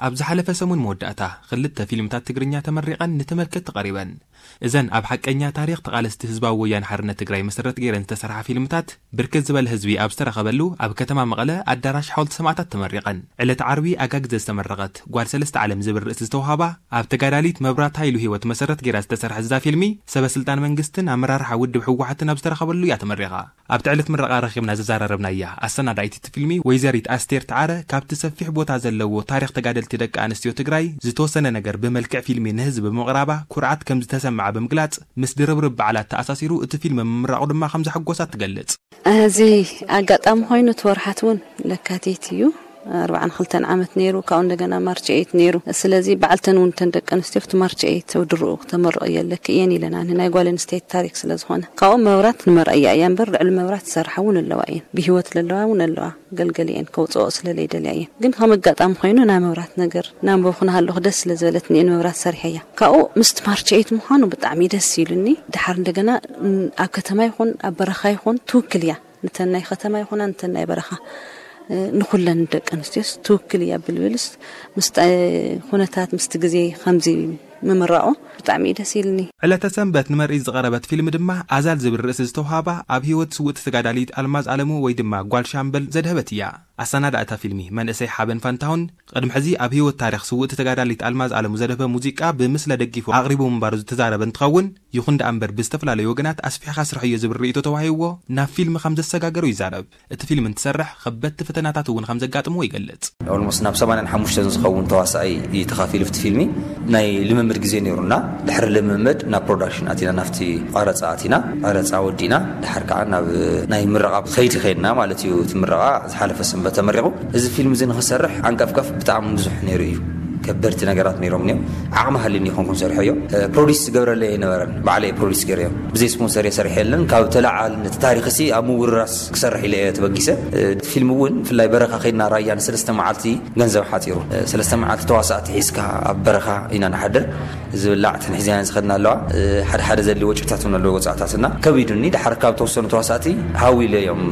ኣብ ዝሓለፈ ሰሙን መወዳእታ ክልተ ፊልምታት ትግርኛ ተመሪቐን ንተመልከትቲ ቀሪበን። እዘን ኣብ ሓቀኛ ታሪኽ ተቓለስቲ ህዝባዊ ወያነ ሓርነት ትግራይ መሰረት ገይረን ዝተሰርሓ ፊልምታት ብርክት ዝበለ ህዝቢ ኣብ ዝተረኸበሉ ኣብ ከተማ መቐለ ኣዳራሽ ሓወልቲ ሰማእታት ተመሪቐን። ዕለት ዓርቢ ኣጋግዘ ዝተመረቐት ጓል ሰለስተ ዓለም ዝብል ርእሲ ዝተውሃባ ኣብ ተጋዳሊት መብራት ሃይሉ ህይወት መሰረት ገይራ ዝተሰርሐት እዛ ፊልሚ ሰበ ስልጣን መንግስትን ኣመራርሓ ውድብ ህወሓትን ኣብ ዝተረኸበሉ እያ ተመሪቓ። ኣብቲ ዕለት ምረቓ ረኺብና ዘዘራረብናያ ኣሰናዳኢት እቲ ፊልሚ ወይዘሪት ኣስቴር ተዓረ ካብቲ ሰፊሕ ቦታ ዘለዎ ታሪኽ ተጋደልቲ ደቂ ኣንስትዮ ትግራይ ዝተወሰነ ነገር ብመልክዕ ፊልሚ ንህዝቢ ብምቕራባ ኩርዓት ከም ዝተሰምዓ ብምግላጽ ምስ ድርብርብ በዓላት ተኣሳሲሩ እቲ ፊልም ምምራቑ ድማ ከም ዘሐጎሳ ትገልጽ። እዚ ኣጋጣሚ ኮይኑ እቲ ወርሓት እውን ለካቲት እዩ። ኣርባዓን ክልተን ዓመት ነይሩ። ካብኡ እንደገና ማርች ኤይት ነይሩ። ስለዚ በዓልተን እውን እተን ደቂ ኣንስትዮ ኣብቲ ማርች ኤይት ውድርኡ ክተመርቕ እየ ኣለኪ እየን ኢለን። ኣነ ናይ ጓል ኣንስተይቲ ታሪክ ስለ ዝኾነ ካብኡ መብራት ንመርኣያ እያ እምበር ልዕሊ መብራት ዝሰርሓ እውን ኣለዋ እየን። ብህይወት ለለዋ እውን ኣለዋ። ገልገሊአን ከውፅኦ ስለ ለይደልያ እየን። ግን ከም ኣጋጣሚ ኮይኑ ናይ መብራት ነገር ናንበብኩ ናሃለኹ ደስ ስለ ዝበለትኒ እየ ንመብራት ሰሪሐያ። ካብኡ ምስቲ ማርች ኤይት ምዃኑ ብጣዕሚ ደስ ኢሉኒ። ድሓር እንደገና ኣብ ከተማ ይኹን ኣብ በረኻ ይኹን ትውክል እያ። ንተን ናይ ከተማ ይኹና ንተን ናይ በረኻ ንኹለን ደቂ ኣንስትዮስ ትውክል እያ ብልብልስ ምስ ኩነታት ምስቲ ግዜ ከምዚ ምምራቑ ብጣዕሚ እዩ ደስ ኢልኒ። ዕለተ ሰንበት ንመርኢት ዝቐረበት ፊልም ድማ ኣዛል ዝብል ርእሲ ዝተውሃባ ኣብ ህይወት ስውእቲ ተጋዳሊት ኣልማዝ ኣለሙ ወይ ድማ ጓል ሻምበል ዘድሀበት እያ። ኣሰናዳእታ ፊልሚ መንእሰይ ሓበን ፋንታሁን ቅድሚ ሕዚ ኣብ ህይወት ታሪኽ ስውእቲ ተጋዳሊት ኣልማዝ ኣለሙ ዘድሀበ ሙዚቃ ብምስለ ደጊፉ ኣቕሪቡ ምንባሩ ዝተዛረበ እንትኸውን ይኹን ደኣ እምበር ብዝተፈላለዩ ወገናት ኣስፊሕኻ ስርሐዮ ዝብል ርእይቶ ተዋሂብዎ ናብ ፊልሚ ከም ዘሰጋገሮ ይዛረብ። እቲ ፊልም እንትሰርሕ ከበድቲ ፈተናታት እውን ከም ዘጋጥምዎ ይገልጽ። ኦልሞስት ናብ ሰማንያን ሓሙሽተን ዝኸውን ተዋሳኣይ እዩ ተኻፊሉ ኣብቲ ፊልሚ። ናይ ልምምድ ግዜ ነይሩና። ድሕሪ ልምምድ ናብ ፕሮዳክሽን ኣቲና ናብቲ ቀረፃ ኣቲና ቀረፃ ወዲና ድሓር ከዓ ናብ ናይ ምረቓ ከይዲ ከይድና ማለት እዩ። እቲ ምረቓ ዝሓለፈ ሰንበት ተመሪቑ። እዚ ፊልም እዚ ንኽሰርሕ ዓንቀፍቀፍ ብጣዕሚ ብዙሕ ነይሩ እዩ። ከበድቲ ነገራት ነይሮም እዮም። ዓቕሚ ሃልኒ ይኾንኩም ሰርሐዮ። ፕሮዲስ ዝገብረለይ ኣይነበረን። ባዕለይ ፕሮዲስ ገይረዮ። ብዘይ ስፖንሰር እየ ሰሪሐ የለን። ካብ ተለዓል ነቲ ታሪኽ ሲ ኣብ ምውርራስ ክሰርሕ ኢለ እየ ተበጊሰ። ፊልም እውን ብፍላይ በረኻ ከይድና ራያ ንሰለስተ መዓልቲ ገንዘብ ሓፂሩ። ሰለስተ መዓልቲ ተዋሳእቲ ሒዝካ ኣብ በረኻ ኢና ንሓድር። ዝብላዕ ተንሒዝና ዝኸድና ኣለዋ። ሓደ ሓደ ዘድሊ ወጪታት እውን ኣለዎ። ወፃእታትና ከቢዱኒ። ድሓር ካብ ተወሰኑ ተዋሳእቲ ሃው ኢለ እዮም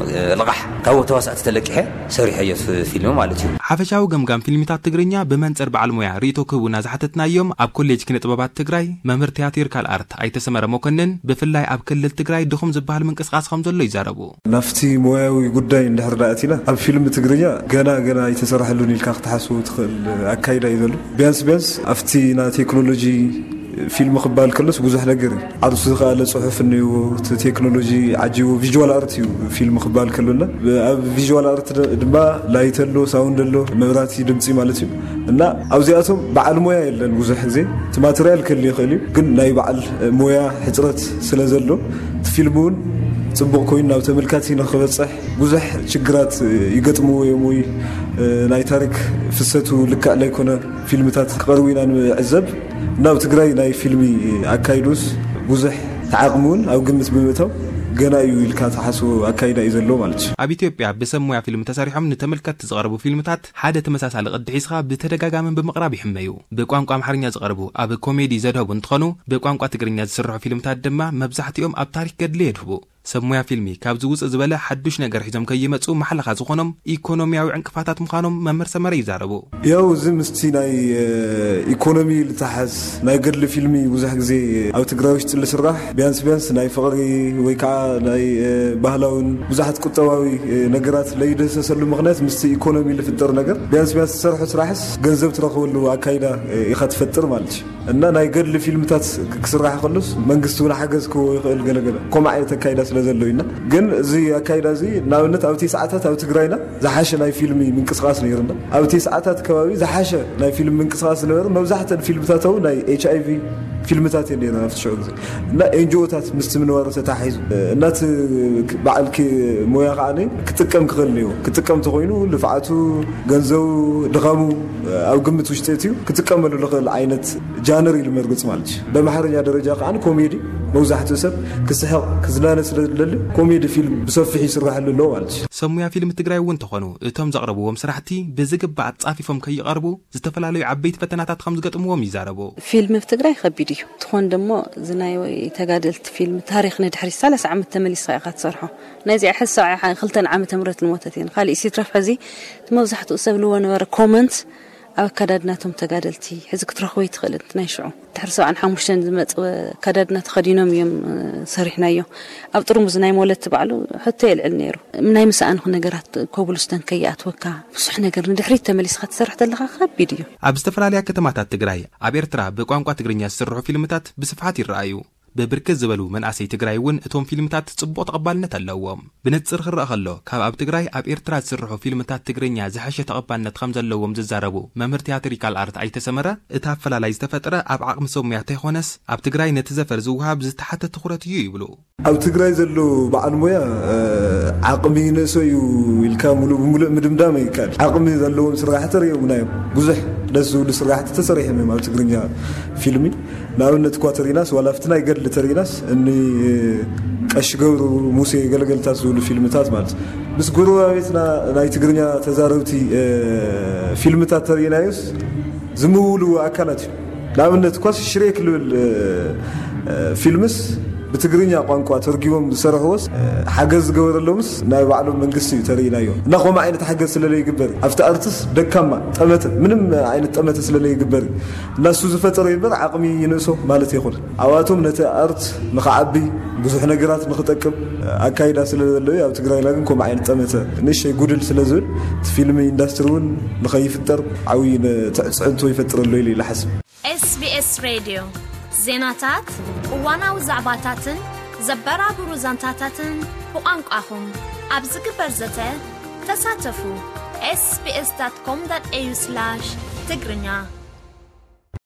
ልቓሕ ካብ ተዋሳእቲ ተለቂሐ ሰሪሐዮ ፊልም ማለት እዩ። ሓፈሻዊ ገምጋም ፊልሚታት ትግርኛ ብመንፅር በዓል ሞያ ርእይቶ ክህቡና ዝሓተትናዮም ኣብ ኮሌጅ ኪነ ጥበባት ትግራይ መምህር ቲያትር ካልኣርት ኣይተ ሰመረ መኮንን ብፍላይ ኣብ ክልል ትግራይ ድኹም ዝበሃል ምንቅስቃስ ከም ዘሎ ይዛረቡ። ናብቲ ሞያዊ ጉዳይ እንድሕር ደኣ ኣቲና ኣብ ፊልም ትግርኛ ገና ገና ኣይተሰራሐሉን ኢልካ ክትሓስቡ ትኽእል ኣካይዳ እዩ ዘሎ። ቢያንስ ቢያንስ ኣብቲ ና ቴክኖሎጂ ፊልም ክበሃል ከሎስ ብዙሕ ነገር እዩ። ዓርሱ ዝኸኣለ ፅሑፍ እኒዎ፣ እቲ ቴክኖሎጂ ዓጂቡ ቪዥዋል ኣርት እዩ ፊልም ክበሃል ከሎና። ኣብ ቪዥዋል ኣርት ድማ ላይት ኣሎ፣ ሳውንድ ኣሎ፣ መብራቲ፣ ድምፂ ማለት እዩ። እና ኣብዚኣቶም በዓል ሞያ የለን። ብዙሕ ግዜ እቲ ማተርያል ክህሉ ይኽእል እዩ፣ ግን ናይ በዓል ሞያ ሕፅረት ስለ ዘሎ እቲ ፊልም እውን ፅቡቕ ኮይኑ ናብ ተመልካቲ ንክበፅሕ ብዙሕ ችግራት ይገጥምዎ እዮም። ወይ ናይ ታሪክ ፍሰቱ ልክዕ ለይኮነ ፊልምታት ክቐርቡ ኢና ንዕዘብ። ናብ ትግራይ ናይ ፊልሚ ኣካይዱስ ብዙሕ ተዓቕሚ እውን ኣብ ግምት ብምእታው ገና እዩ ኢልካ ተሓስቦ ኣካይዳ እዩ ዘሎ ማለት እዩ። ኣብ ኢትዮጵያ ብሰብ ሞያ ፊልም ተሰሪሖም ንተመልከትቲ ዝቐርቡ ፊልምታት ሓደ ተመሳሳሊ ቅዲ ሒዝኻ ብተደጋጋምን ብምቕራብ ይሕመዩ። ብቋንቋ ኣምሓርኛ ዝቐርቡ ኣብ ኮሜዲ ዘድሀቡ እንትኾኑ ብቋንቋ ትግርኛ ዝስርሑ ፊልምታት ድማ መብዛሕትኦም ኣብ ታሪክ ገድሊ የድህቡ። ሰብ ሞያ ፊልሚ ካብዚ ውፅእ ዝበለ ሓዱሽ ነገር ሒዞም ከይመፁ ማሕለኻ ዝኾኖም ኢኮኖሚያዊ ዕንቅፋታት ምዃኖም መምህር ሰመረ ይዛረቡ። ያው እዚ ምስቲ ናይ ኢኮኖሚ ልተሓዝ ናይ ገድሊ ፊልሚ ብዙሕ ግዜ ኣብ ትግራይ ውሽጢ ልስራሕ ቢያንስ ቢያንስ ናይ ፍቕሪ ወይ ከዓ ናይ ባህላውን ብዙሓት ቁጠባዊ ነገራት ለይደሰሰሉ ምኽንያት ምስቲ ኢኮኖሚ ልፍጠር ነገር ቢያንስ ቢያንስ ዝሰርሖ ስራሕስ ገንዘብ ትረኽበሉ ኣካይዳ ኢኻ ትፈጥር ማለት እዩ። እና ናይ ገድሊ ፊልምታት ክስራሕ ከሎስ መንግስቲ እውን ሓገዝ ክህቦ ይኽእል ገለገለ ከምኡ ዓይነት ኣካይዳ ስለ ዘሎ ኢና። ግን እዚ ኣካይዳ እዚ ንኣብነት ኣብ ቴስዓታት ኣብ ትግራይና ዝሓሸ ናይ ፊልሚ ምንቅስቃስ ነይርና። ኣብ ቴስዓታት ከባቢ ዝሓሸ ናይ ፊልም ምንቅስቃስ ዝነበረ መብዛሕተን ፊልምታት እውን ናይ ኤች ኣይ ቪ ፊልምታት እየን ነይረን ኣብቲ ሽዑ ግዜ። እና ኤንጂኦታት ምስቲ ምንባሩ ተታሒዙ እና እቲ በዓል ሞያ ከዓ ክጥቀም ክኽእል ነይዎ። ክጥቀም ተኮይኑ ልፍዓቱ፣ ገንዘቡ፣ ድኻሙ ኣብ ግምት ውሽጢ እትዩ ክጥቀመሉ ልኽእል ዓይነት ጃነር ኢሉ መርግፅ ማለት እዩ። በማሕረኛ ደረጃ ከዓ ኮሜዲ መብዛሕትኡ ሰብ ክስሕቕ ክዝናነ ስለ ዝደሊ ኮሜዲ ፊልም ብሰፊሑ ይስራሐሉ ኣሎ ማለት እዩ። ሰብ ሙያ ፊልም ትግራይ እውን እንተኾኑ እቶም ዘቕረብዎም ስራሕቲ ብዝግባእ ኣጻፊፎም ከይቐርቡ ዝተፈላለዩ ዓበይቲ ፈተናታት ከም ዝገጥምዎም ይዛረቡ። ፊልም ኣብ ትግራይ ከቢድ እዩ። ትኾን ደሞ እዚ ናይ ተጋደልቲ ፊልም ታሪኽ ንድሕሪት ሰላሳ ዓመት ተመሊስኻ ኢኻ ትሰርሖ። ናይዚኣ ሕዚ ሰብዓ ክልተን ዓመተ ምህረት ዝሞተት እየን። ካሊእ ሲትረፍ ሕዚ እቲ መብዛሕትኡ ሰብ ልዎ ነበረ ኮመንት ኣብ ኣከዳድናቶም ተጋደልቲ ሕዚ ክትረኽቦ ይትኽእልን ናይ ሽዑ ድሕሪ ሰብዓን ሓሙሽተን ዝመጽወ ኣከዳድና ተኸዲኖም እዮም ሰሪሕናዮ። ኣብ ጥርሙዝ ናይ ሞለት ባዕሉ ሕቶ የልዕል ነይሩ። ናይ ምሳኣንኹ ነገራት ኮብልስተን ከይኣትወካ ብዙሕ ነገር ንድሕሪት ተመሊስካ ትሰርሕ ተለኻ ከቢድ እዩ። ኣብ ዝተፈላለያ ከተማታት ትግራይ ኣብ ኤርትራ ብቋንቋ ትግርኛ ዝስርሑ ፊልምታት ብስፍሓት ይረኣዩ። ብብርክት ዝበሉ መናእሰይ ትግራይ እውን እቶም ፊልምታት ጽቡቕ ተቐባልነት ኣለዎም። ብንጽር ክረኣ ከሎ ካብ ኣብ ትግራይ ኣብ ኤርትራ ዝስርሑ ፊልምታት ትግርኛ ዝሐሸ ተቐባልነት ከም ዘለዎም ዝዛረቡ መምህር ቲያትሪካል ኣርት ኣይተሰመረ፣ እቲ ኣፈላላይ ዝተፈጥረ ኣብ ዓቕሚ ሰብ ሙያ ተይኮነስ ኣብ ትግራይ ነቲ ዘፈር ዝወሃብ ዝተሓተ ትኹረት እዩ ይብሉ። ኣብ ትግራይ ዘሎ በዓል ሞያ ዓቕሚ ይንእሶ እዩ ኢልካ ሙሉእ ብሙሉእ ምድምዳም ይከኣል። ዓቕሚ ዘለዎም ስራሕቲ ሪኦምና እዮም። ብዙሕ ደስ ዝብሉ ስራሕቲ ተሰሪሖም እዮም ኣብ ትግርኛ ፊልሚ። ንኣብነት እኳ ተሪናስ ዋላ ኣብቲ ናይ ገድሊ ተሪናስ እኒ ቀሺ ገብሩ፣ ሙሴ፣ ገለገልታት ዝብሉ ፊልምታት ማለት ምስ ጎረባቤትና ናይ ትግርኛ ተዛረብቲ ፊልምታት ተሪናዮስ ዝምውሉ ኣካላት እዩ። ንኣብነት እኳስ ሽሬክ ልብል ፊልምስ ብትግርኛ ቋንቋ ተርጊቦም ዝሰርሕዎስ ሓገዝ ዝገበረሎምስ ናይ ባዕሎም መንግስቲ እዩ ተርእናዮ። እና ከምኡ ዓይነት ሓገዝ ስለለይግበር ኣብቲ ኣርትስ ደካማ ጠመተ ምንም ዓይነት ጠመተ ስለለይግበር እዩ። እና እሱ ዝፈጠሮ ይበር ዓቕሚ ይንእሶ ማለት ይኹን ኣብኣቶም ነቲ ኣርት ንኽዓቢ ብዙሕ ነገራት ንኽጠቅም ኣካይዳ ስለ ዘለዩ ኣብ ትግራይና ግን ከምኡ ዓይነት ጠመተ ንእሽተይ ጉድል ስለ ዝብል እቲ ፊልም ኢንዳስትሪ እውን ንኸይፍጠር ዓብዪ ትዕፅዕንቶ ይፈጥረሎ ኢሉ ይልሓስብ። SBS ሬድዮ ዜናታት፣ እዋናዊ ዛዕባታትን ዘበራብሩ ዛንታታትን ብቋንቋኹም ኣብ ዝግበር ዘተ ተሳተፉ። sbs.com.au/ትግርኛ